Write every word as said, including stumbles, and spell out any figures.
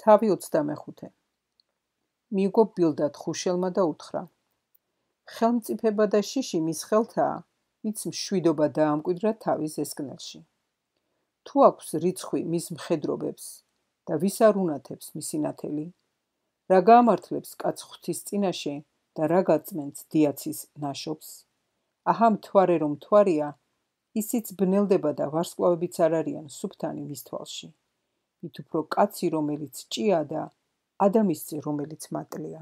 თავი ოცდამეხუთე. მიიგო ბილდად ხუშელმა და უთხრა: ხელმწიფება და შიში მის ხელთაა, ვიც მშვიდობა დაამკვიდრა თავის ზესკნელში. თუ აქვს რიცხვი მის მხედრობებს და ვის არ უნათებს მისი ნათელი, რა გაამართლებს კაც ღვთის წინაშე და რა გაწმენს დიაცის ნაშობს? აჰა მთვარე რომ მთვარია, ისიც ბნელდება და ვარსკვლავებიც არ არიან სუფთანი მის თვალში. მით უფრო კაცი, რომელიც ჭია და ადამიანზე, რომელიც მატლია.